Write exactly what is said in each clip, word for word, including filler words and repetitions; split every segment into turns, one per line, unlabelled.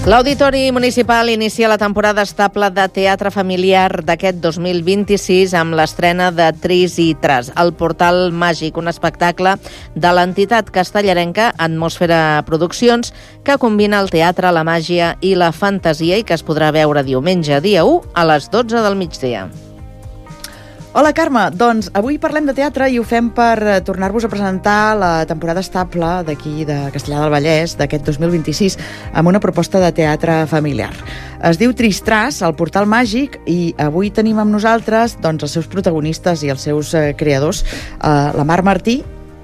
L'Auditori Municipal inicia la temporada estable de teatre familiar d'aquest dos mil vint-i-sis amb l'estrena de Tris i Tras, el Portal Màgic, un espectacle de l'entitat castellarenca Atmosfera Produccions que combina el teatre, la màgia i la fantasia i que es podrà veure diumenge dia u a les dotze del migdia.
Hola, Carme. Doncs avui parlem de teatre i ho fem per tornar-vos a presentar la temporada estable d'aquí, de Castellar del Vallès, d'aquest dos mil vint-i-sis, amb una proposta de teatre familiar. Es diu Tris i Tras, el Portal Màgic, i avui tenim amb nosaltres doncs, els seus protagonistes i els seus eh, creadors. Uh, la Mar Martí.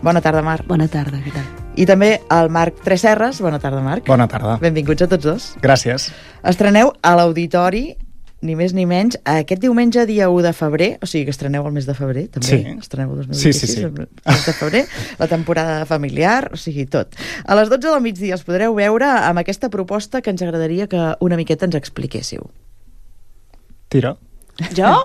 Bona tarda, Mar.
Bona tarda, què tal?
I també el Marc Tresserras. Bona tarda, Marc.
Bona tarda.
Benvinguts a tots dos.
Gràcies.
Estreneu a l'Auditori, ni més ni menys, aquest diumenge, dia u de febrer, o sigui que estreneu el mes de febrer, també.
Sí.
Estreneu el dos mil vint-i-sis,
sí, sí, sí.
el mes de febrer, la temporada familiar, o sigui, tot. A les dotze del migdia els podreu veure amb aquesta proposta que ens agradaria que una miqueta ens expliquéssiu.
Tira.
Jo?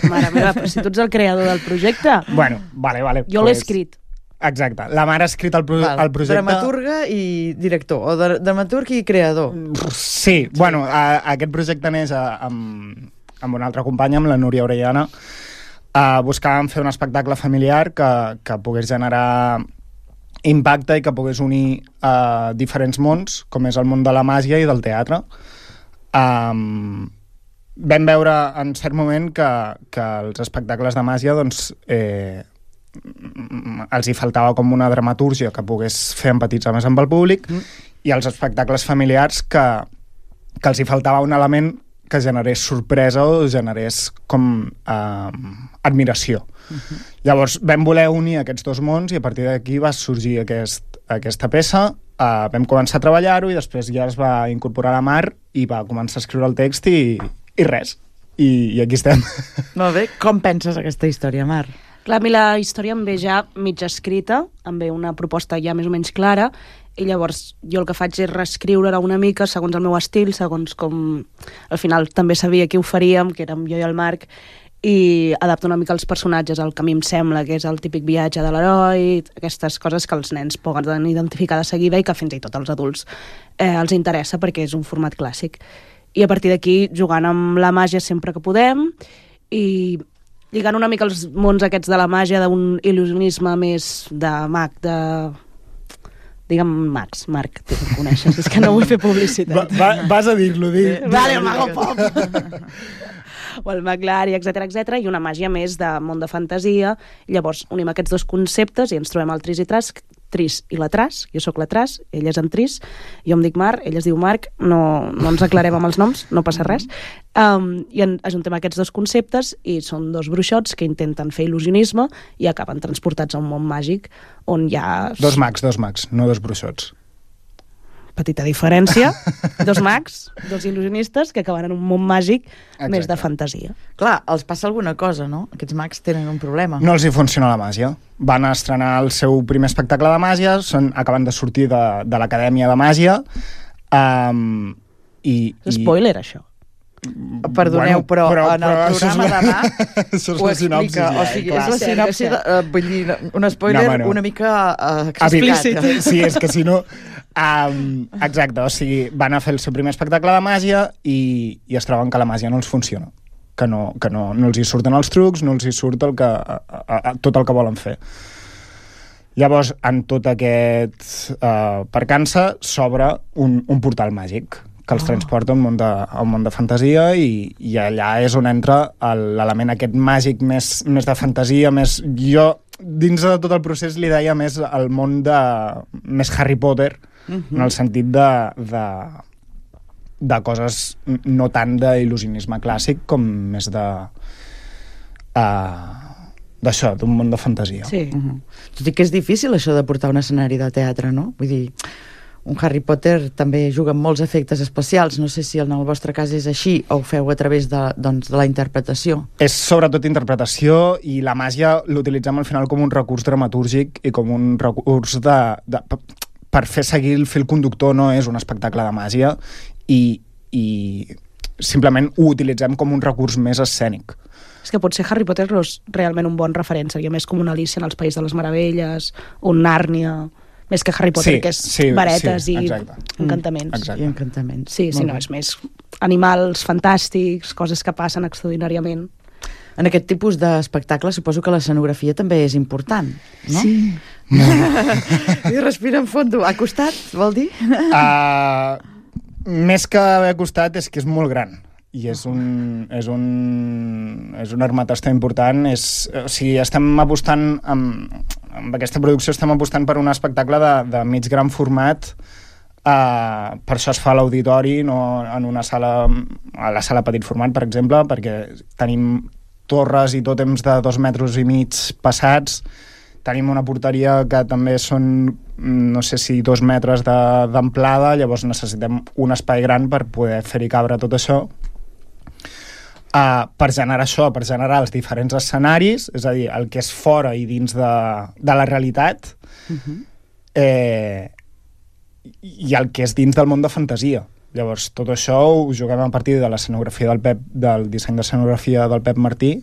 Mare meva, però si tu ets el creador del projecte.
Bueno, vale, vale.
Jo l'he escrit.
Exacte. La Mar ha escrit el, pro
Val.
el projecte...
Dramaturga i director, o de dramaturg i creador.
Sí, sí. Bueno, a, a aquest projecte neix a, amb, amb una altra companya, amb la Núria Orellana. Uh, buscàvem fer un espectacle familiar que, que pogués generar impacte i que pogués unir uh, diferents mons, com és el món de la màgia i del teatre. Um, vam veure en cert moment que, que els espectacles de màgia doncs, eh, els hi faltava com una dramatúrgia que pogués fer empatitzar més amb el públic mm. i els espectacles familiars que, que els hi faltava un element que generés sorpresa o generés com eh, admiració. Mm-hmm. Llavors vam voler unir aquests dos mons i a partir d'aquí va sorgir aquest, aquesta peça, eh, vam començar a treballar-ho i després ja es va incorporar la Mar i va començar a escriure el text i, i res. I, i aquí estem.
Molt bé. Com penses aquesta història, Mar?
Clar, a mi la història em ve ja mig escrita, em ve una proposta ja més o menys clara, i llavors jo el que faig és reescriure-la una mica segons el meu estil, segons com... Al final també sabia qui ho faríem, que érem jo i el Marc, i adapto una mica els personatges al que a mi em sembla que és el típic viatge de l'heroi, aquestes coses que els nens poden identificar de seguida i que fins i tot als adults eh, els interessa perquè és un format clàssic. I a partir d'aquí, jugant amb la màgia sempre que podem, i lligant una mica els mons aquests de la màgia d'un il·lusionisme més de mag, de... Digue'm Max, Marc, tu em coneixes, és que no vull fer publicitat.
Va, va, vas a dir-lo, dir.
Vale, el Mago Pop. O el Maglari, etcètera, etcètera, i una màgia més de món de fantasia. Llavors unim aquests dos conceptes i ens trobem el Tris i Tras, Tris i la Tras, jo sóc la Tras, ell és en Tris, jo em dic Mar, ell es diu Marc, no, no ens aclarem amb els noms, no passa res. Um, I en, ajuntem aquests dos conceptes i són dos bruixots que intenten fer il·lusionisme i acaben transportats a un món màgic on hi ha...
Dos mags, dos mags, no dos bruixots.
Petita diferència, dos mags, dos il·lusionistes que acaben en un món màgic Exacte. Més de fantasia.
Clar, els passa alguna cosa, no? Aquests mags tenen un problema.
No els hi funciona la màgia. Van estrenar el seu primer espectacle de màgia, són, acaben de sortir de, de l'Acadèmia de Màgia. Um, i,
Spoiler, i... això.
Perdoneu,
bueno,
però,
però
en el
però
programa
la...
demà
això és
ho
la sinopsi.
explica. O sigui, és la sinopsi, de, uh, vull dir, un spoiler
no, no.
una mica uh,
explícit. Sí, és que si no... Um, exacte, o sigui, van a fer el seu primer espectacle de màgia i, i es troben que la màgia no els funciona. Que no, que no, no els hi surten els trucs, no els hi surt el que, a, a, a, tot el que volen fer. Llavors, en tot aquest uh, percança, s'obre un, un portal màgic que els oh. transporta a un món de, a un món de fantasia i, i allà és on entra l'element aquest màgic més, més de fantasia, més... Jo, dins de tot el procés, li deia més el món de... més Harry Potter, uh-huh. en el sentit de, de, de coses no tant d'il·lusionisme clàssic com més de... Uh, d'això, d'un món de fantasia.
Sí. Uh-huh. Tot i que és difícil això de portar un escenari de teatre, no? Vull dir... Un Harry Potter també juga amb molts efectes especials. No sé si en el vostre cas és així o ho feu a través de, doncs, de la interpretació.
És sobretot interpretació i la màgia l'utilitzem al final com un recurs dramatúrgic i com un recurs de, de, per fer seguir el fil conductor. No és un espectacle de màgia i, i simplement ho utilitzem com un recurs més escènic.
És que potser Harry Potter no és realment un bon referent, seria més com una Alícia en els País de les Meravelles, un Nàrnia... més que Harry Potter,
Sí,
que és
sí,
varetes
sí,
i
exacte.
encantaments.
Exacte.
I encantaments.
Sí, sí,
Molt
no,
bé.
és més animals fantàstics, coses que passen extraordinàriament.
En aquest tipus d'espectacle suposo que l'escenografia també és important, no?
Sí.
I respira en fondo. Ha costat, vol dir?
Uh, més que haver costat és que és molt gran i és un, és un, és un armatasta important. És, o sigui, estem apostant amb, amb aquesta producció estem apostant per un espectacle de, de mig gran format. Uh, per això es fa a l'auditori, no en una sala, a la sala petit format, per exemple, perquè tenim torres i tòtems de dos metres i mig passats. Tenim una porteria que també són, no sé si dos metres d'amplada, llavors necessitem un espai gran per poder fer-hi cabre tot això. Uh, per generar això, per generar els diferents escenaris, és a dir, el que és fora i dins de, de la realitat, uh-huh. eh, i el que és dins del món de fantasia. Llavors, tot això ho juguem a partir de l'escenografia del Pep, del disseny d'escenografia del Pep Martí,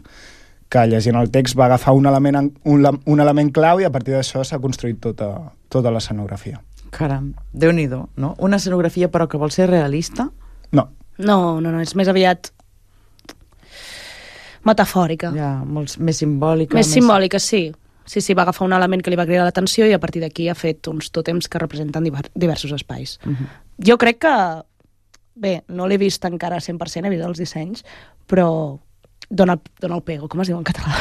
que llegint el text va agafar un element, un, un element clau i a partir d'això s'ha construït tota, tota l'escenografia.
Caram, Déu-n'hi-do, no? Una escenografia però que vol ser realista?
No.
No, no, no, és més aviat metafòrica.
Ja, molt més simbòlica.
Més, més simbòlica, sí. Sí, sí, va agafar un element que li va cridar l'atenció i a partir d'aquí ha fet uns tòtems que representen diversos espais. Uh-huh. Jo crec que, bé, no l'he vist encara cent per cent, he vist els dissenys, però dona, dona el pego, com es diu en català?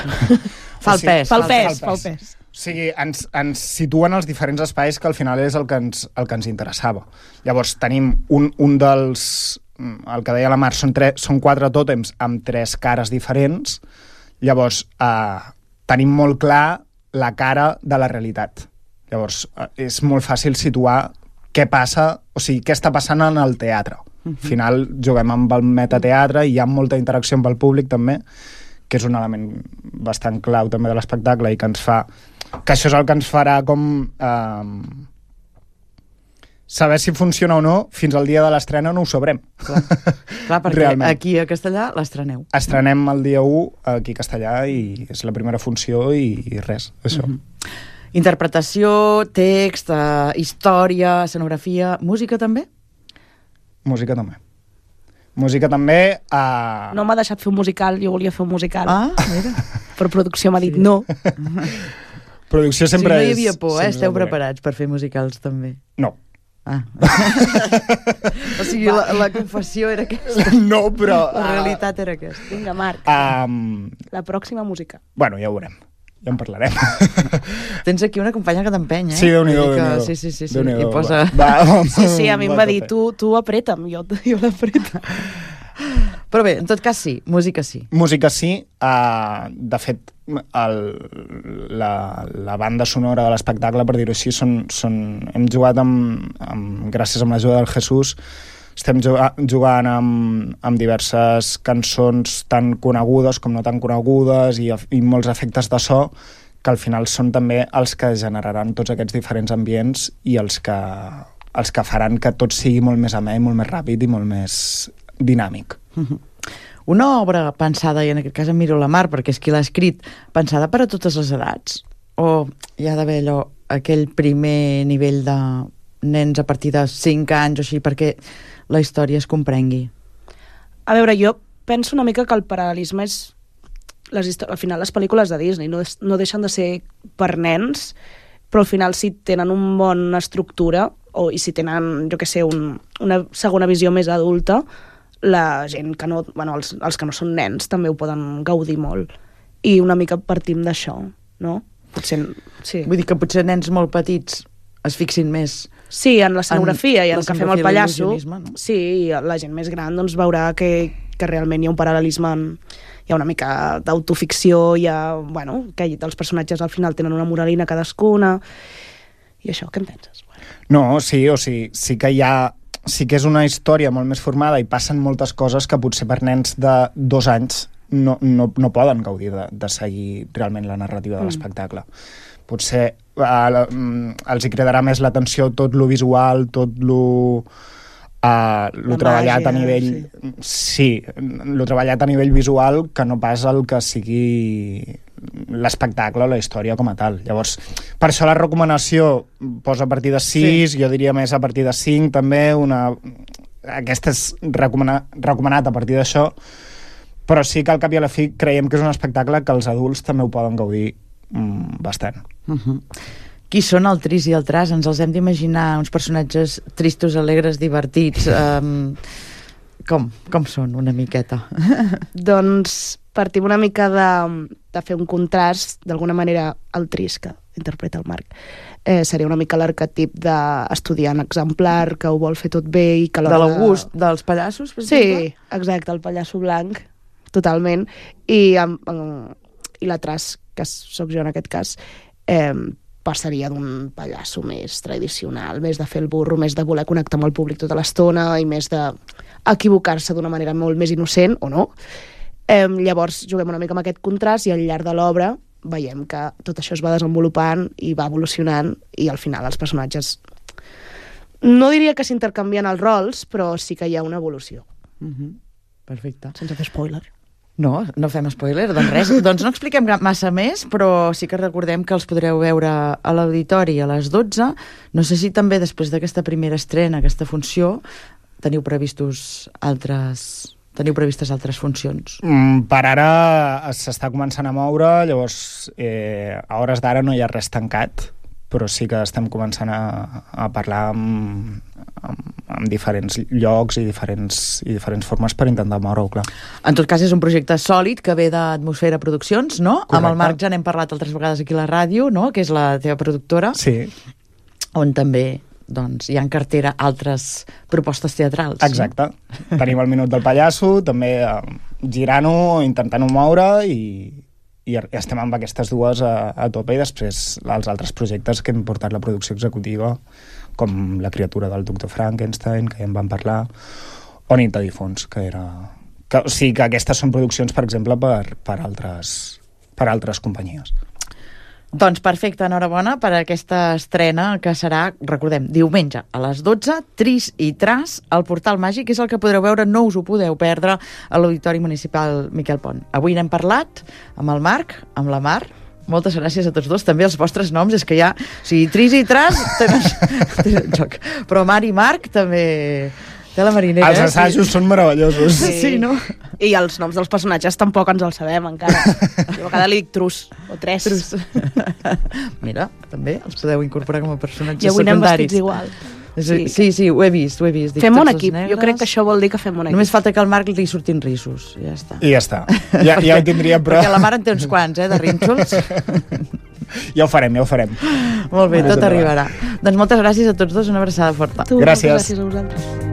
Fa el pes.
Fa el pes, fa el pes.
O sigui, ens, ens situen els diferents espais que al final és el que ens, el que ens interessava. Llavors, tenim un, un dels... El que deia la Mar, són, tres, són quatre tòtems amb tres cares diferents. Llavors, eh, tenim molt clar la cara de la realitat. Llavors, eh, és molt fàcil situar què passa, o sigui, què està passant en el teatre. Uh-huh. Al final, juguem amb el metateatre i hi ha molta interacció amb el públic, també, que és un element bastant clau també de l'espectacle i que ens fa... que això és el que ens farà com... Eh, saber si funciona o no, fins al dia de l'estrena no ho sabrem.
Clar, Clar perquè realment. Aquí a Castellà l'estreneu.
Estrenem el dia u aquí a Castellà i és la primera funció i, i res, això.
Mm-hmm. Interpretació, text, uh, història, escenografia, música també?
Música també. Música també... Uh...
No m'ha deixat fer un musical, jo volia fer un musical.
Ah, mira.
Per producció m'ha dit
sí.
no.
Producció sempre és...
Sí, no hi havia por, eh? Esteu preparats per fer musicals també?
No.
Ah. O sigui, la, la confessió era aquesta.
No, però...
La realitat era aquesta.
Vinga, Marc.
Um...
La pròxima música.
Bueno, ja ho veurem. Ja en parlarem.
Tens aquí una companya que t'empeny, eh?
Sí, Déu-n'hi-do, Déu-n'hi-do.
Sí, sí, sí. sí.
Déu-n'hi-do.
I posa...
Va, va,
sí, sí, a mi em va dir, tu, tu apreta'm, jo, jo l'apreto.
Però bé, en tot cas sí, música sí.
Música sí. Uh, de fet, el, la, la banda sonora de l'espectacle, per dir-ho així, són, són, hem jugat amb, amb, gràcies a l'ajuda del Jesús, estem jugant amb, amb diverses cançons tan conegudes com no tan conegudes i, i molts efectes de so que al final són també els que generaran tots aquests diferents ambients i els que, els que faran que tot sigui molt més amè, molt més ràpid i molt més dinàmic.
Mm-hmm. Una obra pensada, i en aquest cas em miro la Mar perquè és qui l'ha escrit, pensada per a totes les edats? O hi ha d'haver allò, aquell primer nivell de nens a partir de cinc anys o així perquè la història es comprengui?
A veure, jo penso una mica que el paral·lelisme és... Les al final, les pel·lícules de Disney no, no deixen de ser per nens, però al final si tenen una bona estructura o i si tenen, jo què sé, un, una segona visió més adulta, la gent que no... Bueno, els, els que no són nens també ho poden gaudir molt. I una mica partim d'això, no? Potser... Sí.
Vull dir que potser nens molt petits es fixin més...
Sí, en l'escenografia i en que fem el pallasso.
No?
Sí, i la gent més gran doncs, veurà que, que realment hi ha un paral·lelisme, en, hi ha una mica d'autoficció, hi ha, bueno, que els personatges al final tenen una moralina cadascuna. I això, què en penses?
No, sí, o sigui, sí que hi ha... Sí que és una història molt més formada i passen moltes coses que potser per nens de dos anys no, no, no poden gaudir de, de seguir realment la narrativa de l'espectacle. Mm. Potser uh, els hi cridarà més l'atenció tot lo visual, tot lo, uh, lo treballat màgia, a nivell... Sí. sí, lo treballat a nivell visual que no pas el que sigui l'espectacle o la història com a tal. Llavors, per això la recomanació posa a partir de sis, sí. Jo diria més a partir de cinc també, una... aquesta és recomana... recomanat a partir d'això, però sí que al cap i a la fi creiem que és un espectacle que els adults també ho poden gaudir mm, bastant.
Uh-huh. Qui són el Tris i el Tras? Ens els hem d'imaginar uns personatges tristos, alegres, divertits... Um... Com? Com són, una miqueta?
Doncs partim una mica de, de fer un contrast, d'alguna manera, el Tris, que interpreta el Marc. Eh, seria una mica l'arquetip d'estudiant exemplar, que ho vol fer tot bé i que...
De l'August, de... dels pallassos, per exemple?
Sí, exacte, el pallasso blanc, totalment. I, um, i la Tras, que sóc jo en aquest cas, eh, passaria d'un pallasso més tradicional, més de fer el burro, més de voler connectar amb el públic tota l'estona i més de equivocar-se d'una manera molt més innocent, o no. Eh, llavors juguem una mica amb aquest contrast i al llarg de l'obra veiem que tot això es va desenvolupant i va evolucionant i al final els personatges no diria que s'intercanvien els rols, però sí que hi ha una evolució.
Uh-huh. Perfecte.
Sense fer spoiler.
No, no fem spoiler, doncs res. Doncs no expliquem massa més, però sí que recordem que els podreu veure a l'auditori a les dotze. No sé si també després d'aquesta primera estrena, aquesta funció, teniu previstos altres... Teniu previstes altres funcions?
Mm, per ara s'està començant a moure, llavors eh, a hores d'ara no hi ha res tancat, però sí que estem començant a, a parlar amb, amb, amb diferents llocs i diferents, i diferents formes per intentar moure-ho, clar.
En tot cas, és un projecte sòlid que ve d'Atmosfera Produccions, no?
Correcte.
Amb el Marc ja n'hem parlat altres vegades aquí a la ràdio, no? Que és la teva productora.
Sí.
On també doncs, hi ha en cartera altres propostes teatrals.
Exacte. No? Tenim el Minut del Pallasso, també eh, girant-ho, intentant-ho moure i, i estem amb aquestes dues a, a tope i després els altres projectes que hem portat la producció executiva, com La criatura del doctor Frankenstein, que ja en vam parlar, o Nit de difunts, que era... Que, o sigui que aquestes són produccions, per exemple, per, per, altres, per altres companyies.
Doncs perfecte, enhorabona per aquesta estrena que serà, recordem, diumenge a les dotze, Tris i Tras, al Portal Màgic, és el que podreu veure, no us ho podeu perdre, a l'Auditori Municipal Miquel Pont. Avui n'hem parlat amb el Marc, amb la Mar. Moltes gràcies a tots dos, també els vostres noms, és que ja, o sigui, Tris i Tras tenen, tenen joc, però Mar i Marc també... De la marinera.
Els assajos sí. Són meravellosos.
Sí. Sí, no?
I els noms dels personatges tampoc ens els sabem encara. Jo a cada li dic Trus, o Tres.
Trus. Mira, també els podeu incorporar com a personatges
secundaris. I avui
secundaris.
anem vestits igual.
Sí, sí, sí, ho he vist, ho he vist. Dic,
fem un equip, jo crec que això vol dir que fem un equip.
Només falta que al Marc li surtin rissos, ja està.
I ja està, ja, ja ho tindria prou.
Perquè la Mar en té uns quants, eh, de rínxols.
Ja ho farem, ja ho farem.
Molt bé, tot arribarà. Doncs moltes gràcies a tots dos, una abraçada forta.
Tu,
gràcies.
Gràcies a vosaltres.